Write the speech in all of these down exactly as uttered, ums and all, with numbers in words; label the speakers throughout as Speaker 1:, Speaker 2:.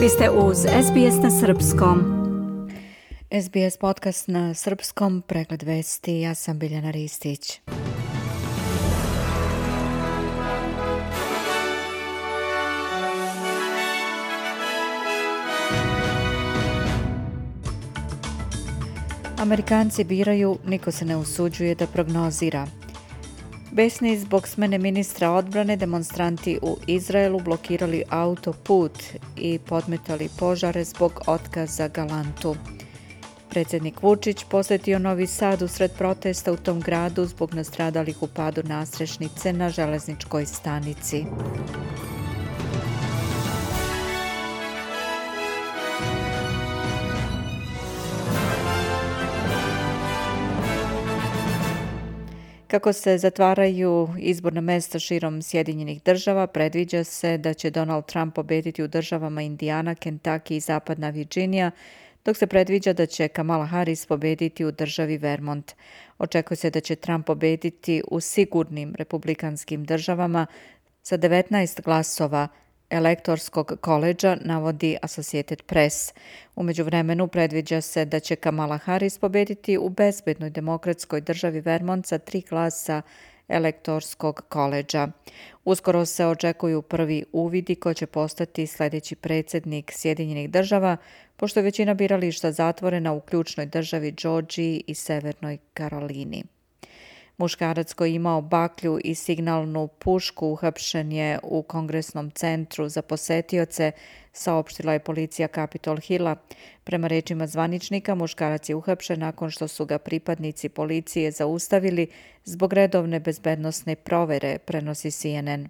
Speaker 1: Vi ste uz S B S na srpskom.
Speaker 2: S B S podcast na srpskom, pregled vesti, ja sam Biljana Ristić. Amerikanci biraju, niko se ne usuđuje da prognozira. Besni zbog smene ministra odbrane, demonstranti u Izraelu blokirali autoput i podmetali požare zbog otkaza Galantu. Predsjednik Vučić posjetio Novi Sad usred protesta u tom gradu zbog nastradalih u padu nadstrešnice na železničkoj stanici. Kako se zatvaraju izborna mjesta širom Sjedinjenih država, predviđa se da će Donald Trump pobediti u državama Indijana, Kentucky i Zapadna Virginija, dok se predviđa da će Kamala Harris pobediti u državi Vermont. Očekuje se da će Trump pobediti u sigurnim republikanskim državama sa devetnaest glasova elektorskog koledža, navodi Associated Press. U međuvremenu predviđa se da će Kamala Harris pobediti u bezbednoj demokratskoj državi Vermont sa tri glasa elektorskog koledža. Uskoro se očekuju prvi uvidi ko će postati sljedeći predsjednik Sjedinjenih država, pošto je većina birališta zatvorena u ključnoj državi Georgiji i Severnoj Karolini. Muškarac koji je imao baklju i signalnu pušku uhapšen je u Kongresnom centru za posetioce, saopštila je policija Capitol Hilla. Prema rečima zvaničnika, muškarac je uhapšen nakon što su ga pripadnici policije zaustavili zbog redovne bezbednosne provere, prenosi C N N.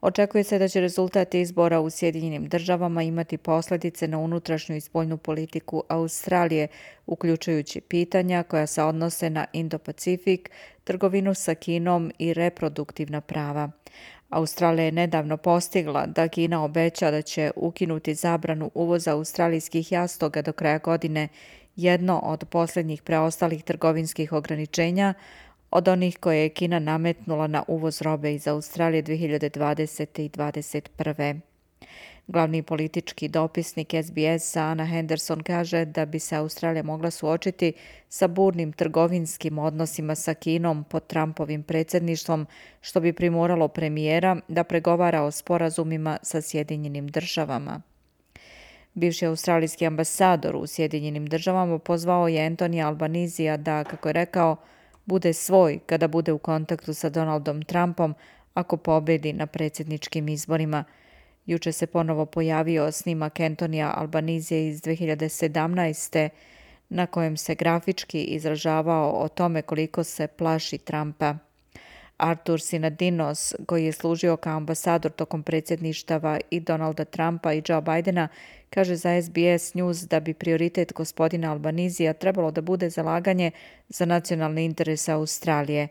Speaker 2: Očekuje se da će rezultat izbora u Sjedinjenim državama imati posljedice na unutrašnju i spoljnu politiku Australije, uključujući pitanja koja se odnose na Indo-Pacifik, trgovinu sa Kinom i reproduktivna prava. Australija je nedavno postigla da Kina obeća da će ukinuti zabranu uvoza australijskih jastoga do kraja godine, jedno od posljednjih preostalih trgovinskih ograničenja od onih koje je Kina nametnula na uvoz robe iz Australije dvije hiljade dvadesete. i dvadeset prve. Glavni politički dopisnik S B S-a Anna Henderson kaže da bi se Australija mogla suočiti sa burnim trgovinskim odnosima sa Kinom pod Trumpovim predsjedništvom, što bi primoralo premijera da pregovara o sporazumima sa Sjedinjenim državama. Bivši australijski ambasador u Sjedinjenim državama pozvao je Anthonyja Albanisija da, kako je rekao, bude svoj kada bude u kontaktu sa Donaldom Trumpom ako pobedi na predsjedničkim izborima. Juče se ponovo pojavio snimak Anthonyja Albanisija iz dvije hiljade sedamnaeste. na kojem se grafički izražavao o tome koliko se plaši Trumpa. Artur Sinadinos, koji je služio kao ambasador tokom predsjedništava i Donalda Trumpa i Joe Bidena, kaže za S B S News da bi prioritet gospodina Albanisija trebalo da bude zalaganje za nacionalni interes Australije.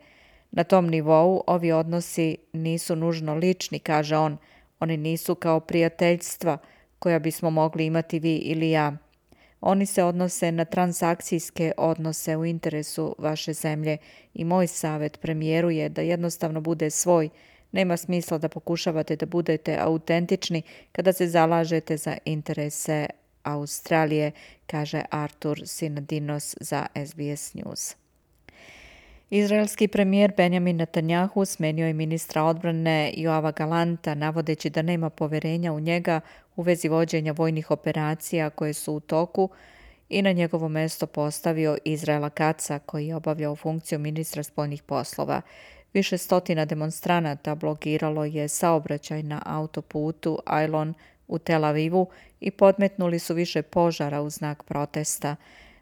Speaker 2: Na tom nivou ovi odnosi nisu nužno lični, kaže on. Oni nisu kao prijateljstva koja bismo mogli imati vi ili ja. Oni se odnose na transakcijske odnose u interesu vaše zemlje i moj savjet premijeru je da jednostavno bude svoj. Nema smisla da pokušavate da budete autentični kada se zalažete za interese Australije, kaže Artur Sinadinos za S B S News. Izraelski premijer Benjamin Netanjahu smenio je ministra odbrane Joava Galanta, navodeći da nema poverenja u njega u vezi vođenja vojnih operacija koje su u toku i na njegovo mjesto postavio Izraela Katza, koji je obavljao funkciju ministra spoljnih poslova. Više stotina demonstranata blokiralo je saobraćaj na autoputu Ailon u Tel Avivu i podmetnuli su više požara u znak protesta.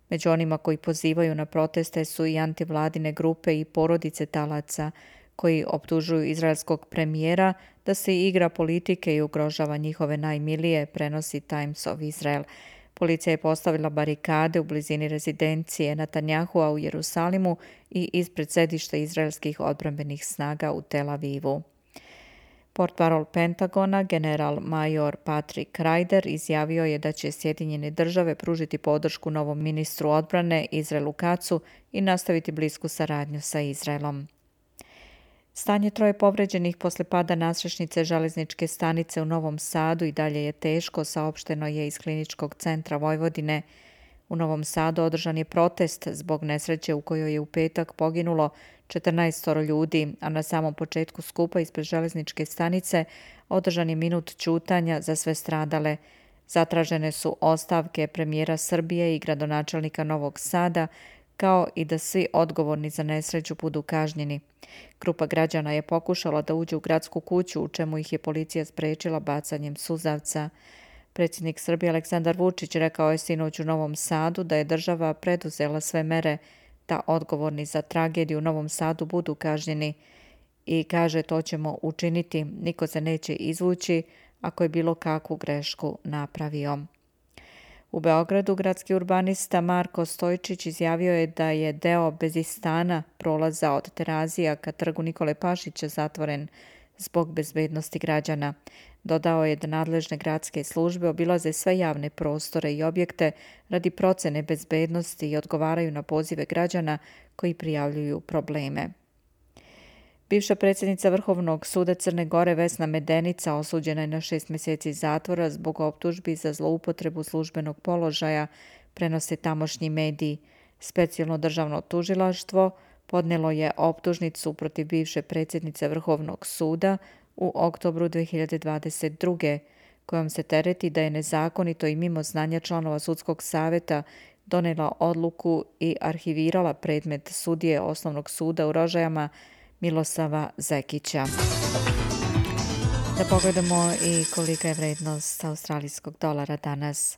Speaker 2: Među onima koji pozivaju na proteste su i antivladine grupe i porodice talaca, koji optužuju izraelskog premijera da se igra politike i ugrožava njihove najmilije, prenosi Times of Israel. Policija je postavila barikade u blizini rezidencije Netanjahua u Jerusalimu i ispred sedišta izraelskih odbrambenih snaga u Tel Avivu. Portparol Pentagona, general major Patrick Ryder, izjavio je da će Sjedinjene države pružiti podršku novom ministru odbrane Izraelu Katzu i nastaviti blisku saradnju sa Izraelom. Stanje troje povređenih posle pada nadstrešnice železničke stanice u Novom Sadu i dalje je teško, saopšteno je iz Kliničkog centra Vojvodine. U Novom Sadu održan je protest zbog nesreće u kojoj je u petak poginulo četrnaest ljudi, a na samom početku skupa ispred železničke stanice održan je minut ćutanja za sve stradale. Zatražene su ostavke premijera Srbije i gradonačelnika Novog Sada, kao i da svi odgovorni za nesreću budu kažnjeni. Grupa građana je pokušala da uđe u gradsku kuću, u čemu ih je policija sprečila bacanjem suzavca. Predsjednik Srbije Aleksandar Vučić rekao je sinoć u Novom Sadu da je država preduzela sve mere da odgovorni za tragediju u Novom Sadu budu kažnjeni i kaže to ćemo učiniti, niko se neće izvući ako je bilo kakvu grešku napravio. U Beogradu gradski urbanista Marko Stojčić izjavio je da je deo Bezistana, prolaza od Terazija ka trgu Nikole Pašića, zatvoren zbog bezbednosti građana. Dodao je da nadležne gradske službe obilaze sve javne prostore i objekte radi procene bezbednosti i odgovaraju na pozive građana koji prijavljuju probleme. Bivša predsjednica Vrhovnog suda Crne Gore Vesna Medenica osuđena je na šest mjeseci zatvora zbog optužbi za zloupotrebu službenog položaja, prenose tamošnji mediji. Specijalno državno tužilaštvo podnelo je optužnicu protiv bivše predsjednice Vrhovnog suda u oktobru dve hiljade dvadeset druge. kojom se tereti da je nezakonito i mimo znanja članova sudskog savjeta donela odluku i arhivirala predmet sudije Osnovnog suda u Rožajama Milosava Zekića. Da pogledamo i kolika je vrednost australijskog dolara danas.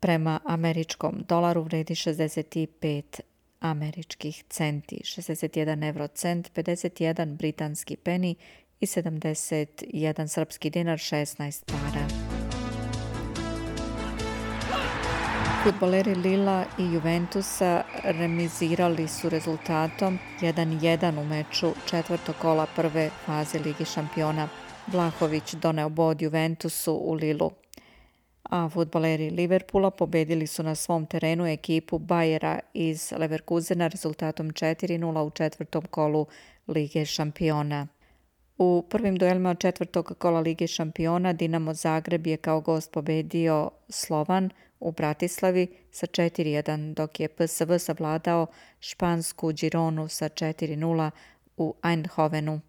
Speaker 2: Prema američkom dolaru vredi šezdeset pet američkih centi, šezdeset jedan eurocent, pedeset jedan britanski peni i sedamdeset jedan srpski dinar, šesnaest para. Fudbaleri Lila i Juventusa remizirali su rezultatom jedan jedan u meču četvrtog kola prve faze Lige šampiona. Vlahović doneo bod Juventusu u Lilu. A fudbaleri Liverpoola pobedili su na svom terenu ekipu Bayera iz Leverkusena rezultatom četiri nula u četvrtom kolu Lige šampiona. U prvim duelima četvrtog kola Lige šampiona Dinamo Zagreb je kao gost pobedio Slovan u Bratislavi sa četiri jedan, dok je P S V savladao špansku Gironu sa četiri nula u Eindhovenu.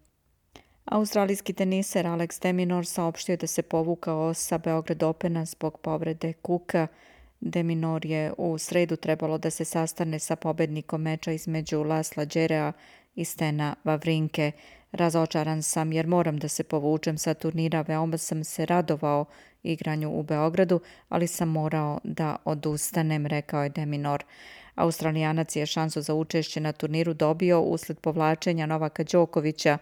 Speaker 2: Australijski teniser Alex de Minaur saopštio da se povukao sa Beograd Opena zbog povrede kuka. De Minaur je u sredu trebalo da se sastane sa pobednikom meča između Lasla Đerea i Stena Wawrinke. Razočaran sam jer moram da se povučem sa turnira, veoma sam se radovao igranju u Beogradu, ali sam morao da odustanem, rekao je de Minaur. Australijanac je šansu za učešće na turniru dobio usled povlačenja Novaka Đokovića,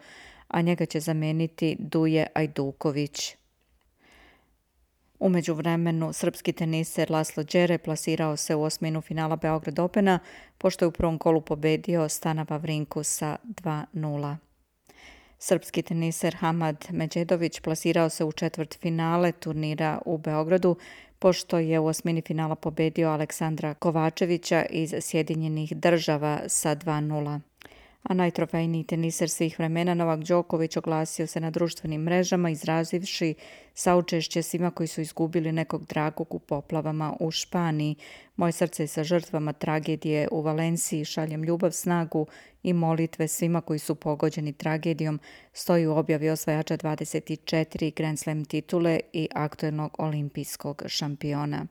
Speaker 2: a njega će zameniti Duje Ajduković. U međuvremenu, srpski teniser Laslo Đere plasirao se u osminu finala Beograd Opena, pošto je u prvom kolu pobedio Stana Wavrinku sa dva nula. Srpski teniser Hamad Međedović plasirao se u četvrt finale turnira u Beogradu, pošto je u osmini finala pobedio Aleksandra Kovačevića iz Sjedinjenih Država sa dva nula. A najtrofejniji teniser svih vremena Novak Đoković oglasio se na društvenim mrežama izrazivši saučešće svima koji su izgubili nekog dragog u poplavama u Španiji. Moje srce je sa žrtvama tragedije u Valenciji, šaljem ljubav, snagu i molitve svima koji su pogođeni tragedijom, stoji u objavi osvajača dvadeset četiri Grand Slam titule i aktuelnog olimpijskog šampiona.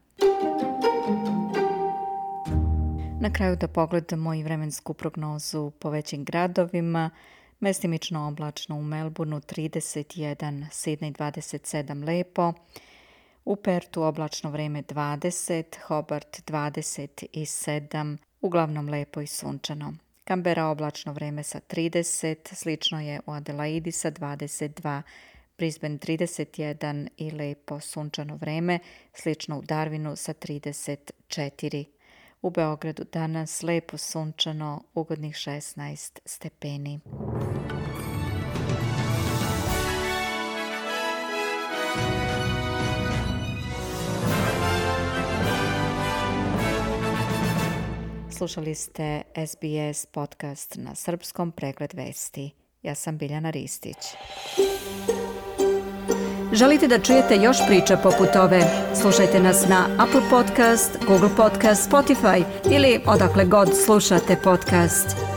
Speaker 2: Na kraju da pogledamo i vremensku prognozu po većim gradovima. Mestimično oblačno u Melbourneu trideset jedan, Sidney dvadeset sedam lepo, u Pertu oblačno vreme dvadeset, Hobart dvadeset sedam, uglavnom lepo i sunčano. Canberra oblačno vreme sa trideset, slično je u Adelaidi sa dvadeset dva, Brisbane trideset jedan i lepo sunčano vreme, slično u Darwinu sa trideset četiri. U Beogradu danas lepo sunčano, ugodnih šesnaest stepeni. Slušali ste S B S podcast na srpskom, pregled vesti Ja sam Biljana Ristić.
Speaker 1: Želite da čujete još priča poput ove? Slušajte nas na Apple Podcast, Google Podcast, Spotify ili odakle god slušate podcast.